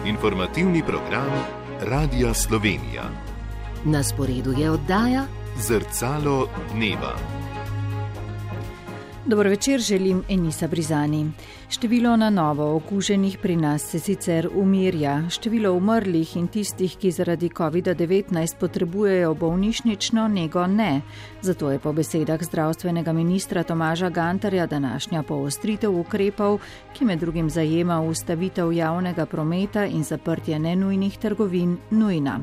Informativni program Radia Slovenija. Na sporedu je oddaja Zrcalo dneva. Dobro večer, želim Enisa Brizani. Število na novo okuženih pri nas se sicer umirja. Število umrlih in tistih, ki zaradi COVID-19 potrebujejo bolnišnično nego, ne. Zato je po besedah zdravstvenega ministra Tomaža Gantarja današnja poostritev ukrepov, ki med drugim zajema ustavitev javnega prometa in zaprtje nenujnih trgovin, nujna.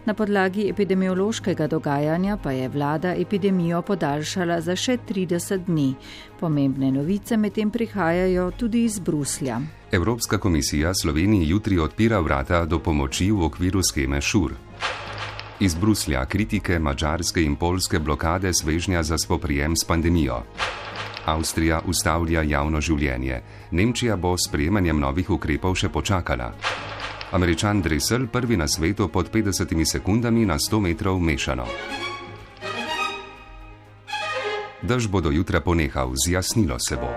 Na podlagi epidemiološkega dogajanja pa je vlada epidemijo podaljšala za še 30 dni. Pomembne novice medtem prihajajo tudi iz Bruslja. Evropska komisija Sloveniji jutri odpira vrata do pomoči v okviru sheme ŠUR. Iz Bruslja kritike madžarske in poljske blokade svežnja za spoprijem s pandemijo. Avstrija ustavlja javno življenje. Nemčija bo s sprejemanjem novih ukrepov še počakala. Američan Dressel prvi na svetu pod 50 sekundami na 100 metrov mešano. Dež bo do jutra ponehal, zjasnilo se bo.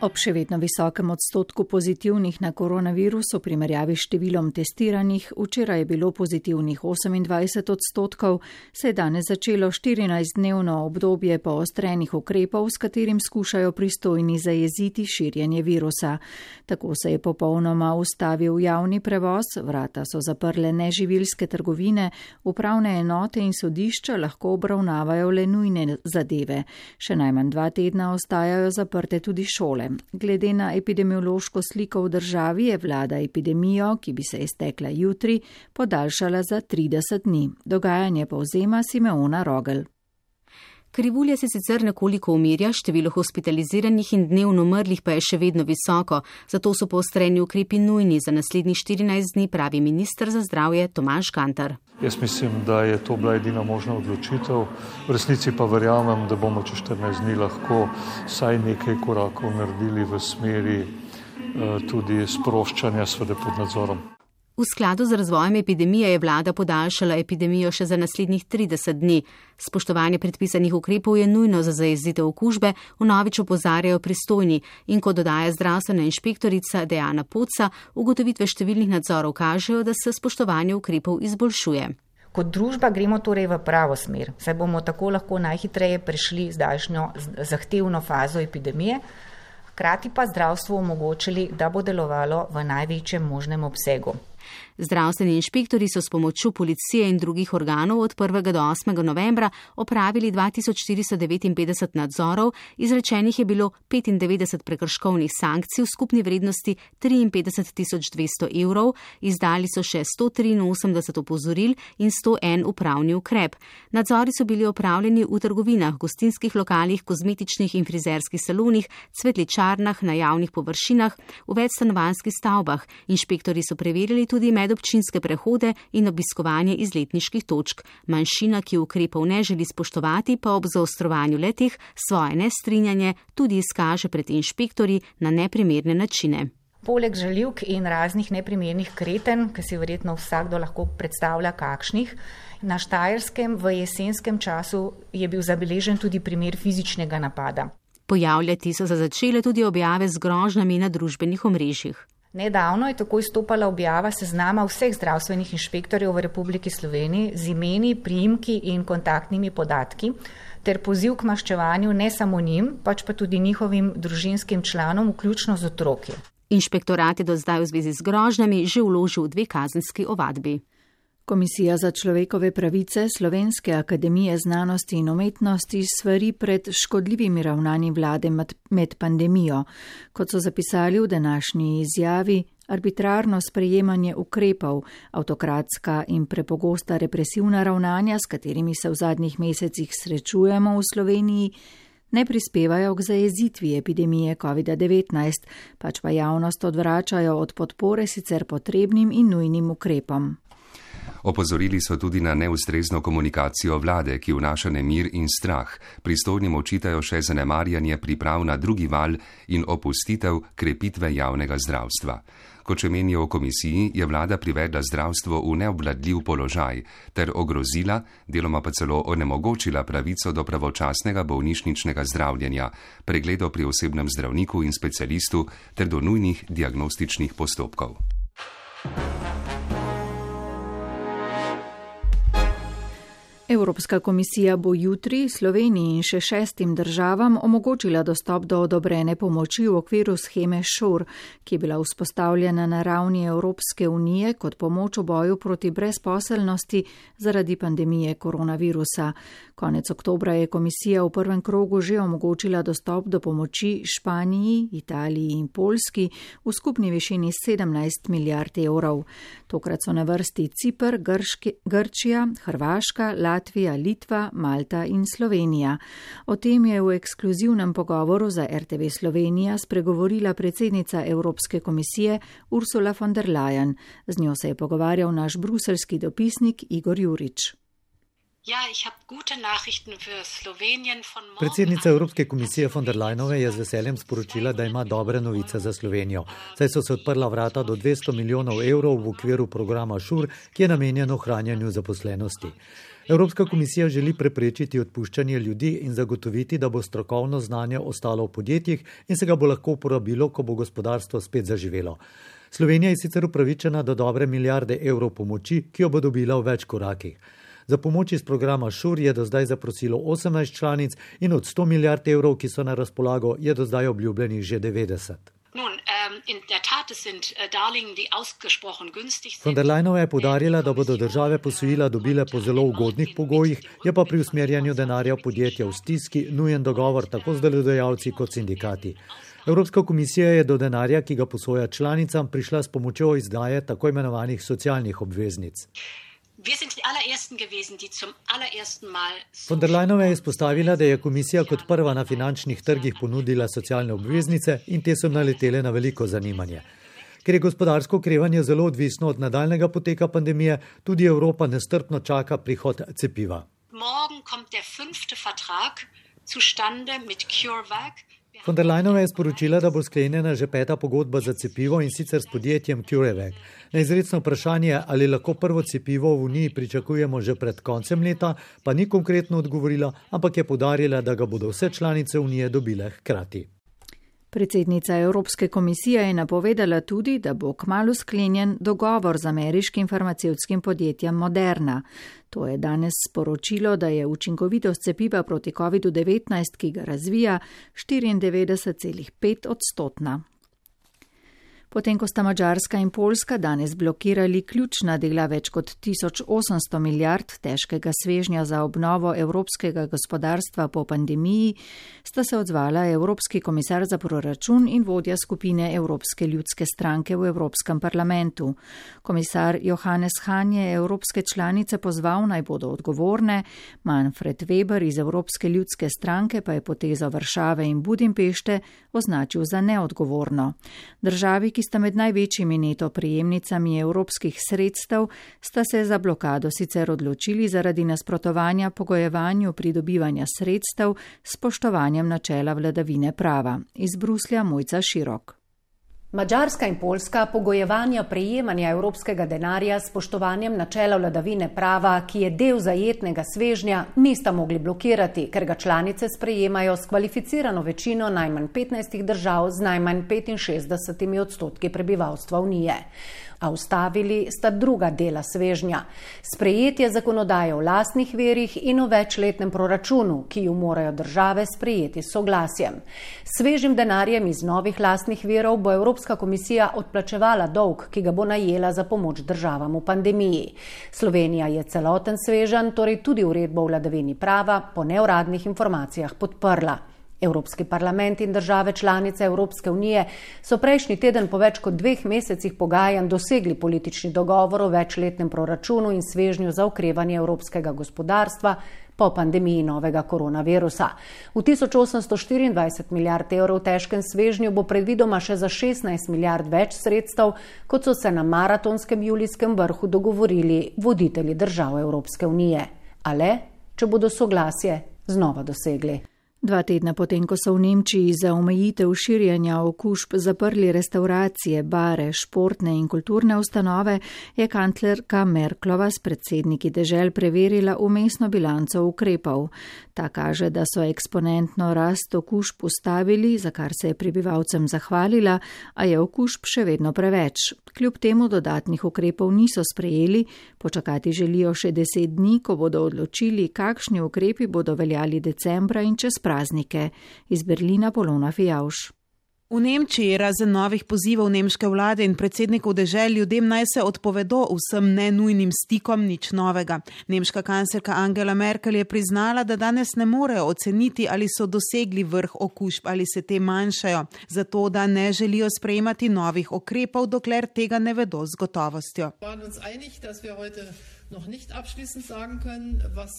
Ob še vedno visokem odstotku pozitivnih na koronavirus v primerjavi s številom testiranih, včeraj je bilo pozitivnih 28 odstotkov, se je danes začelo 14-dnevno obdobje poostrenih ukrepov, s katerim skušajo pristojni zajeziti širjenje virusa. Tako se je popolnoma ustavil javni prevoz, vrata so zaprle neživilske trgovine, upravne enote in sodišča lahko obravnavajo le nujne zadeve. Še najmanj 2 tedna ostajajo zaprte tudi šole. Glede na epidemiološko sliko v državi je vlada epidemijo, ki bi se iztekla jutri, podaljšala za 30 dni. Dogajanje povzema Simeona Rogel. Krivulja se sicer nekoliko umirja, število hospitaliziranih in dnevno umrlih pa je še vedno visoko, zato so poostreni ukrepi nujni za naslednjih 14 dni, pravi minister za zdravje Tomaž Gantar. Jaz mislim, da je to bila edina možna odločitev. V resnici pa verjamem, da bomo čez 14 dni lahko vsaj nekaj korakov naredili v smeri tudi sproščanja, seveda pod nadzorom. V skladu z razvojem epidemije je vlada podaljšala epidemijo še za naslednjih 30 dni. Spoštovanje predpisanih ukrepov je nujno za zajezitev okužbe, vnovič opozarjajo pristojni in kot dodaja zdravstvena inšpektorica Dejana Poca, ugotovitve številnih nadzorov kažejo, da se spoštovanje ukrepov izboljšuje. Kot družba gremo torej v pravo smer, saj bomo tako lahko najhitreje prešli zdajšnjo zahtevno fazo epidemije, hkrati pa zdravstvu omogočili, da bo delovalo v največjem možnem obsegu. Zdravstveni inšpektori so s pomočjo policije in drugih organov od 1. do 8. novembra opravili 2459 nadzorov, izrečenih je bilo 95 prekrškovnih sankcij v skupni vrednosti 53.200 evrov, izdali so še 183 opozoril in 101 upravni ukrep. Nadzori so bili opravljeni v trgovinah, gostinskih lokalih, kozmetičnih in frizerskih salonih, cvetličarnah, na javnih površinah, v večstanovanjskih stavbah. Inšpektori so preverili tudi medobčinske prehode in obiskovanje izletniških točk. Manjšina, ki ukrepov ne želi spoštovati, pa ob zaostrovanju letih svoje nestrinjanje tudi izkaže pred inšpektorji na neprimerne načine. Poleg žaljivk in raznih neprimernih kreten, ki si verjetno vsakdo lahko predstavlja kakšnih, na Štajerskem v jesenskem času je bil zabeležen tudi primer fizičnega napada. Pojavljati so se začele tudi objave z grožnjami na družbenih omrežjih. Nedavno je tako izstopala objava seznama vseh zdravstvenih inšpektorjev v Republiki Sloveniji z imeni, priimki in kontaktnimi podatki ter poziv k maščevanju ne samo njim, pač pa tudi njihovim družinskim članom, vključno z otroki. Inšpektorat je do zdaj v zvezi z grožnjami že vložil 2 kazenski ovadbi. Komisija za človekove pravice Slovenske akademije znanosti in umetnosti svari pred škodljivimi ravnanji vlade med pandemijo. Kot so zapisali v današnji izjavi, arbitrarno sprejemanje ukrepov, avtokratska in prepogosta represivna ravnanja, s katerimi se v zadnjih mesecih srečujemo v Sloveniji, ne prispevajo k zajezitvi epidemije COVID-19, pač pa javnost odvračajo od podpore sicer potrebnim in nujnim ukrepom. Opozorili so tudi na neustrezno komunikacijo vlade, ki vnaša nemir in strah. Pristojnim očitajo še zanemarjanje priprav na drugi val in opustitev krepitve javnega zdravstva. Kot še menijo v komisiji, je vlada privedla zdravstvo v neobvladljiv položaj ter ogrozila, deloma pa celo onemogočila pravico do pravočasnega bolnišničnega zdravljenja, pregledov pri osebnem zdravniku in specialistu ter do nujnih diagnostičnih postopkov. Evropska komisija bo jutri Sloveniji in še 6 državam omogočila dostop do odobrene pomoči v okviru sheme SURE, ki je bila vzpostavljena na ravni Evropske unije kot pomoč v boju proti brezposelnosti zaradi pandemije koronavirusa. Konec oktobra je komisija v prvem krogu že omogočila dostop do pomoči Španiji, Italiji in Poljski v skupni višini 17 milijard evrov. Tokrat so na vrsti Ciper, Grčija, Hrvaška, Latvija, Litva, Malta in Slovenija. O tem je v ekskluzivnem pogovoru za RTV Slovenija spregovorila predsednica Evropske komisije Ursula von der Leyen. Z njo se je pogovarjal naš bruselski dopisnik Igor Jurič. Predsednica Evropske komisije von der Leyenove je z veseljem sporočila, da ima dobre novice za Slovenijo, saj so se odprla vrata do 200 milijonov evrov v okviru programa SURE, ki je namenjen ohranjanju zaposlenosti. Evropska komisija želi preprečiti odpuščanje ljudi in zagotoviti, da bo strokovno znanje ostalo v podjetjih in se ga bo lahko uporabilo, ko bo gospodarstvo spet zaživelo. Slovenija je sicer upravičena do dobre milijarde evrov pomoči, ki jo bo dobila v več korakih. Za pomoč iz programa SURE je do zdaj zaprosilo 18 članic in od 100 milijard evrov, ki so na razpolago, je do zdaj obljubljenih že 90. Von der Leyenova je poudarila, da bodo države posojila dobile po zelo ugodnih pogojih, je pa pri usmerjanju denarja v podjetja v stiski nujen dogovor tako z delodajalci kot sindikati. Evropska komisija je do denarja, ki ga posoja članicam, prišla s pomočjo izdaje tako imenovanih socialnih obveznic. Von der Leyenova je izpostavila, da je komisija kot prva na finančnih trgih ponudila socialne obveznice in te so naletele na veliko zanimanje. Ker je gospodarsko okrevanje zelo odvisno od nadaljnega poteka pandemije, tudi Evropa nestrpno čaka prihod cepiva. Von der Leyenova je sporočila, da bo sklenjena že 5. pogodba za cepivo in sicer s podjetjem CureVac. Na izrecno vprašanje, ali lahko prvo cepivo v Uniji pričakujemo že pred koncem leta, pa ni konkretno odgovorila, ampak je poudarila, da ga bodo vse članice Unije dobile hkrati. Predsednica Evropske komisije je napovedala tudi, da bo kmalu sklenjen dogovor z ameriškim farmacevtskim podjetjem Moderna. To je danes sporočilo, da je učinkovitost cepiva proti COVID-19, ki ga razvija, 94,5%. Potem, ko sta Madžarska in Poljska danes blokirali ključna dela več kot 1800 milijard težkega svežnja za obnovo evropskega gospodarstva po pandemiji, sta se odzvala Evropski komisar za proračun in vodja skupine Evropske ljudske stranke v Evropskem parlamentu. Komisar Johannes Hahn je evropske članice pozval, naj bodo odgovorne, Manfred Weber iz Evropske ljudske stranke pa je potezo Varšave in Budimpešte označil za neodgovorno. Državi, ki sta med največjimi neto prejemnicami evropskih sredstev, sta se za blokado sicer odločili zaradi nasprotovanja pogojevanju pridobivanja sredstev s spoštovanjem načela vladavine prava. Iz Bruslja Mojca Širok. Madžarska in Poljska pogojevanja prejemanja evropskega denarja s spoštovanjem načela vladavine prava, ki je del zajetnega svežnja, nista mogli blokirati, ker ga članice sprejemajo s kvalificirano večino najmanj 15 držav z najmanj 65% prebivalstva Unije. A ustavili sta druga dela svežnja. Sprejetje zakonodaje o lastnih virih in o večletnem proračunu, ki ju morajo države sprejeti s soglasjem. Svežim denarjem iz novih lastnih virov bo Evropska komisija odplačevala dolg, ki ga bo najela za pomoč državam v pandemiji. Slovenija je celoten svežen, torej tudi uredbo o vladavini prava, po neuradnih informacijah podprla. Evropski parlament in države članice Evropske unije so prejšnji teden po več kot 2 mesecih pogajanj dosegli politični dogovor o večletnem proračunu in svežnju za okrevanje evropskega gospodarstva po pandemiji novega koronavirusa. V 1824 milijard evrov težkem svežnju bo predvidoma še za 16 milijard več sredstev, kot so se na maratonskem julijskem vrhu dogovorili voditelji držav Evropske unije. A le, če bodo soglasje znova dosegli. 2 tedna potem, ko so v Nemčiji za omejitev širjenja okužb zaprli restauracije, bare, športne in kulturne ustanove, je kanclerka Merklova s predsedniki dežel preverila vmesno bilanco ukrepov. Ta kaže, da so eksponentno rast okužb ustavili, za kar se je prebivalcem zahvalila, a je okužb še vedno preveč. Kljub temu dodatnih ukrepov niso sprejeli, počakati želijo še 10 dni, ko bodo odločili, kakšni ukrepi bodo veljali decembra in čez praznike. Iz Berlina Polona Fijavš. V Nemčiji razen novih pozivov nemške vlade in predsednikov dežel ljudem naj se odpovedo vsem nenujnim stikom, nič novega. Nemška kanclerka Angela Merkel je priznala, da danes ne morejo oceniti, ali so dosegli vrh okužb ali se te manjšajo, zato da ne želijo sprejemati novih ukrepov, dokler tega ne vedo z gotovostjo.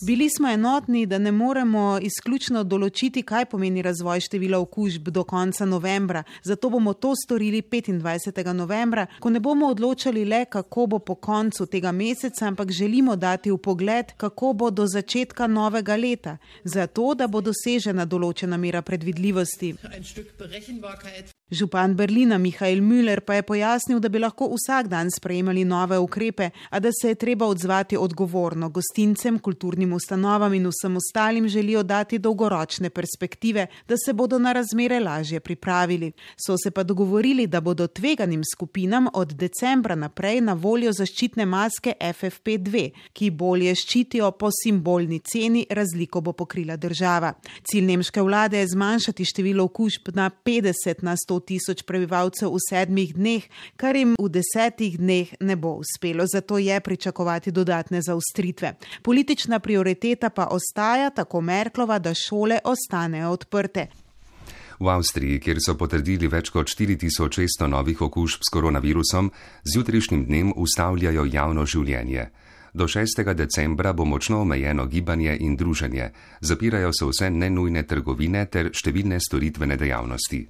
Bili smo enotni, da ne moremo izključno določiti, kaj pomeni razvoj števila okužb do konca novembra. Zato bomo to storili 25. novembra, ko ne bomo odločali le, kako bo po koncu tega meseca, ampak želimo dati vpogled, kako bo do začetka novega leta, zato da bo dosežena določena mera predvidljivosti. Župan Berlina Michael Müller pa je pojasnil, da bi lahko vsak dan sprejemali nove ukrepe, a da se je treba odzvati odgovorno. Gostincem, kulturnim ustanovam in vsem ostalim želijo dati dolgoročne perspektive, da se bodo na razmere lažje pripravili. So se pa dogovorili, da bodo tveganim skupinam od decembra naprej na voljo zaščitne maske FFP2, ki bolje ščitijo po simbolni ceni, razliko bo pokrila država. Cilj nemške vlade je zmanjšati število okužb na 50 na 100 tisoč prebivalcev v 7 dneh, kar jim v 10 dneh ne bo uspelo, zato je pričakovati dodatne zaostritve. Politična prioriteta pa ostaja, tako Merklova, da šole ostanejo odprte. V Avstriji, kjer so potrdili več kot 4600 novih okužb s koronavirusom, z jutrišnjim dnem ustavljajo javno življenje. Do 6. decembra bo močno omejeno gibanje in druženje. Zapirajo se vse nenujne trgovine ter številne storitvene dejavnosti.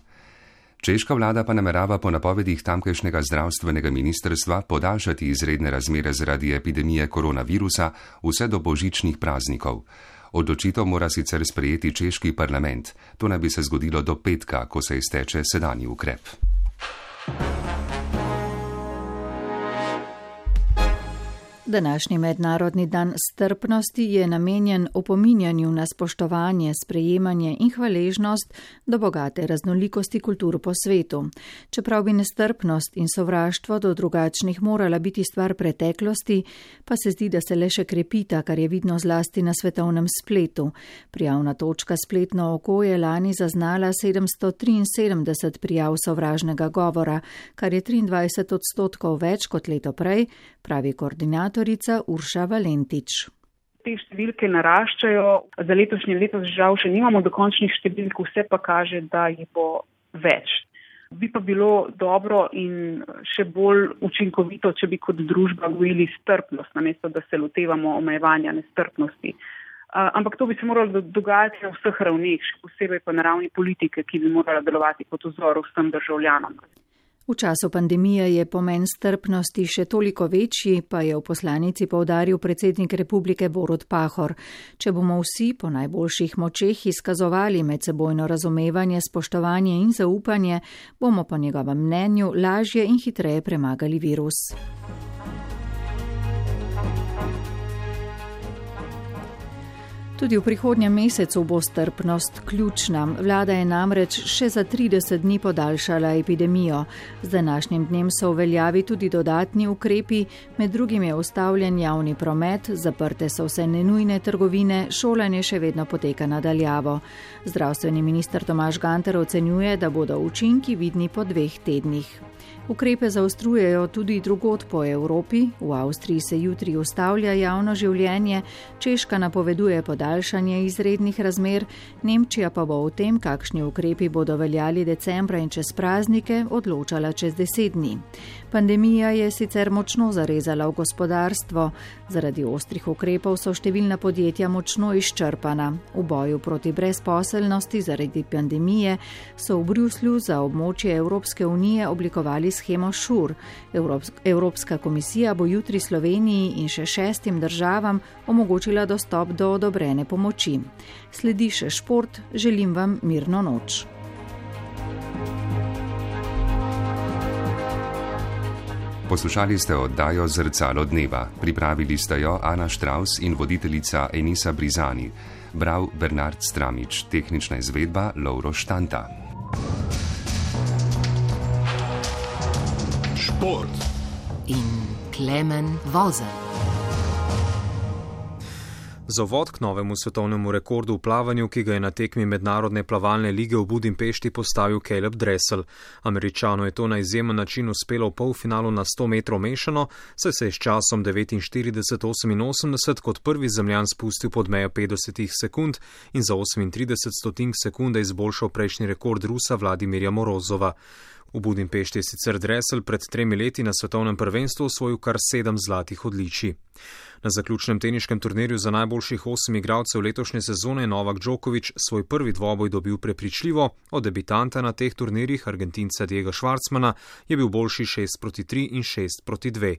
Češka vlada pa namerava po napovedih tamkajšnjega zdravstvenega ministrstva podaljšati izredne razmere zaradi epidemije koronavirusa vse do božičnih praznikov. Odločitev mora sicer sprejeti češki parlament. To naj bi se zgodilo do petka, ko se izteče sedanji ukrep. Današnji mednarodni dan strpnosti je namenjen opominjanju na spoštovanje, sprejemanje in hvaležnost do bogate raznolikosti kultur po svetu. Čeprav bi nestrpnost in sovraštvo do drugačnih morala biti stvar preteklosti, pa se zdi, da se le še krepita, kar je vidno zlasti na svetovnem spletu. Prijavna točka Spletno oko je lani zaznala 773 prijav sovražnega govora, kar je 23% več kot leto prej, pravi koordinator Urša Valentič. Te številke naraščajo, za letošnje leto žal še nimamo dokončnih številk, vse pa kaže, da jih bo več. Bi pa bilo dobro in še bolj učinkovito, če bi kot družba gojili strpnost, namesto da se lotevamo omejevanja nestrpnosti. Ampak to bi se moralo dogajati na vseh ravneh, še posebej pa na ravni politike, ki bi morala delovati kot vzor vsem državljanom. V času pandemije je pomen strpnosti še toliko večji, pa je v poslanici poudaril predsednik republike Borut Pahor. Če bomo vsi po najboljših močeh izkazovali medsebojno razumevanje, spoštovanje in zaupanje, bomo po njegovem mnenju lažje in hitreje premagali virus. Tudi v prihodnjem mesecu bo strpnost ključna. Vlada je namreč še za 30 dni podaljšala epidemijo. Z današnjim dnem so v veljavi tudi dodatni ukrepi, med drugim je ustavljen javni promet, zaprte so vse nenujne trgovine, šolanje še vedno poteka nadaljavo. Zdravstveni minister Tomaž Gantar ocenjuje, da bodo učinki vidni po 2 tednih. Ukrepe zaostrujejo tudi drugod po Evropi. V Avstriji se jutri ustavlja javno življenje, Češka napoveduje podaljšanje izrednih razmer, Nemčija pa bo o tem, kakšni ukrepi bodo veljali decembra in čez praznike, odločala čez 10 dni. Pandemija je sicer močno zarezala v gospodarstvo. Zaradi ostrih ukrepov so številna podjetja močno izčrpana. V boju proti brezposelnosti zaradi pandemije so v Bruslju za območje Evropske unije oblikovali shemo SURE. Evropska komisija bo jutri Sloveniji in še 6 državam omogočila dostop do odobrene pomoči. Sledi še šport, želim vam mirno noč. Poslušali ste oddajo Zrcalo dneva. Pripravili ste jo Ana Štravs in voditeljica Enisa Brizani. Bral Bernard Stramič, tehnična izvedba Lovro Štanta. Šport in Klemen Vozelj. Za uvod k novemu svetovnemu rekordu v plavanju, ki ga je na tekmi Mednarodne plavalne lige v Budimpešti postavil Caleb Dressel. Američanu je to na izjemen način uspelo v polfinalu na 100 metrov mešano, saj se je s časom 49:88 kot prvi zemljan spustil pod mejo 50 sekund in za 38 sekunde izboljšal prejšnji rekord Rusa Vladimirja Morozova. V Budimpešti je sicer Dressel pred 3 leti na svetovnem prvenstvu osvojil kar 7 zlatih odličij. Na zaključnem teniškem turnirju za najboljših 8 igralcev letošnje sezone je Novak Djokovic svoj prvi dvoboj dobil prepričljivo. Od debitanta na teh turnirjih, Argentinca Diega Schwartzmana, je bil boljši 6-3 in 6-2.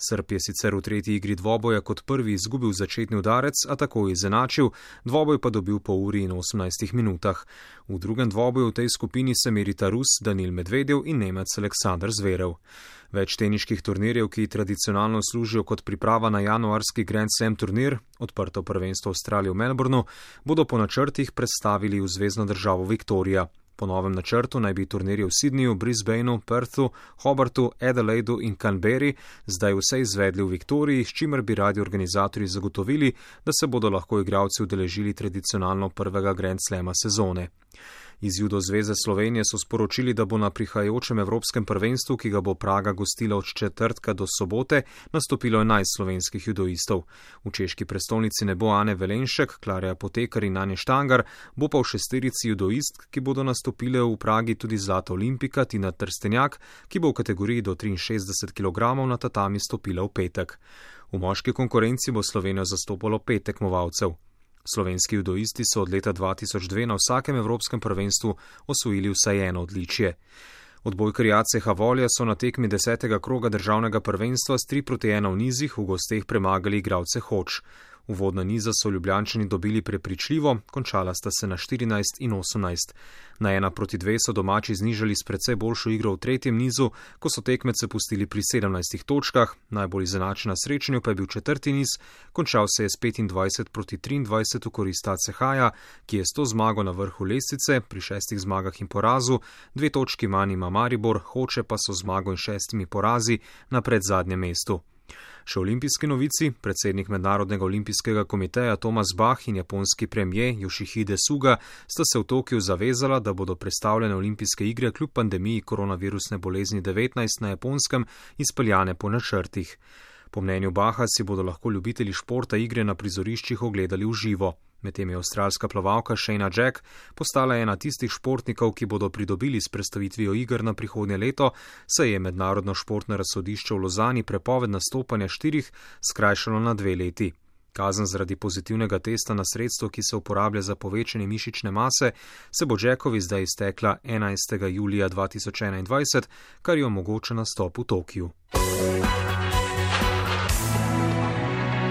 Srb je sicer v tretji igri dvoboja kot prvi izgubil začetni udarec, a tako je izenačil, dvoboj pa dobil po uri in 18 minutah. V drugem dvoboju v tej skupini se merita Rus Danil Medvedev in Nemec Aleksandar Zverev. Več teniških turnirjev, ki tradicionalno služijo kot priprava na januarski Grand Slam turnir, odprto prvenstvo Avstralije v Melbourneu, bodo po načrtih predstavili v zvezno državo Viktorija. Po novem načrtu naj bi turnirje v Sydneyju, Brisbaneu, Perthu, Hobartu, Adelaidu in Canberri zdaj vse izvedli v Viktoriji, s čimer bi radi organizatorji zagotovili, da se bodo lahko igralci udeležili tradicionalno prvega Grand Slama sezone. Iz Judo zveze Slovenije so sporočili, da bo na prihajajočem evropskem prvenstvu, ki ga bo Praga gostila od četrtka do sobote, nastopilo 11 slovenskih judoistov. V češki prestolnici ne bo Ane Velenšek, Klarja Potekar in Ane Štangar, bo pa v šesterici judoistk, ki bodo nastopile v Pragi, tudi zlata olimpika Tina Trstenjak, ki bo v kategoriji do 63 kg na tatami stopila v petek. V moški konkurenci bo Slovenijo zastopalo 5 tekmovalcev. Slovenski judoisti so od leta 2002 na vsakem evropskem prvenstvu osvojili vsaj eno odličje. Odbojkarji ACH Volja so na tekmi 10. kroga državnega prvenstva s 3-1 v nizih v gosteh premagali igralce Hoč. Uvodna niza so Ljubljančani dobili prepričljivo, končala sta se na 14 in 18. Na 1-2 so domači znižali s precej boljšo igro v tretjem nizu, ko so tekmece pustili pri 17 točkah, najbolj izenačen na srečanju pa je bil četrti niz, končal se je s 25-23 v korist ACH-ja, ki je s to zmago na vrhu lestvice, pri 6 zmagah in porazu, 2 točki manj ima Maribor, Hoče pa so zmago in 6 porazi na predzadnjem mestu. Še olimpijski novici, predsednik Mednarodnega olimpijskega komiteja Thomas Bach in japonski premijer Yoshihide Suga sta se v Tokiu zavezala, da bodo predstavljene olimpijske igre kljub pandemiji koronavirusne bolezni 19 na Japonskem izpeljane po načrtih. Po mnenju Baha si bodo lahko ljubitelji športa igre na prizoriščih ogledali v živo. Medtem je avstralska plavalka Shayna Jack postala ena tistih športnikov, ki bodo pridobili s predstavitvijo iger na prihodnje leto, saj je Mednarodno športno razsodišče v Lozani prepoved nastopanja 4 skrajšalo na 2 leti. Kazen zaradi pozitivnega testa na sredstvo, ki se uporablja za povečanje mišične mase, se bo Jackovi zdaj iztekla 11. julija 2021, kar je omogoča nastop v Tokiu.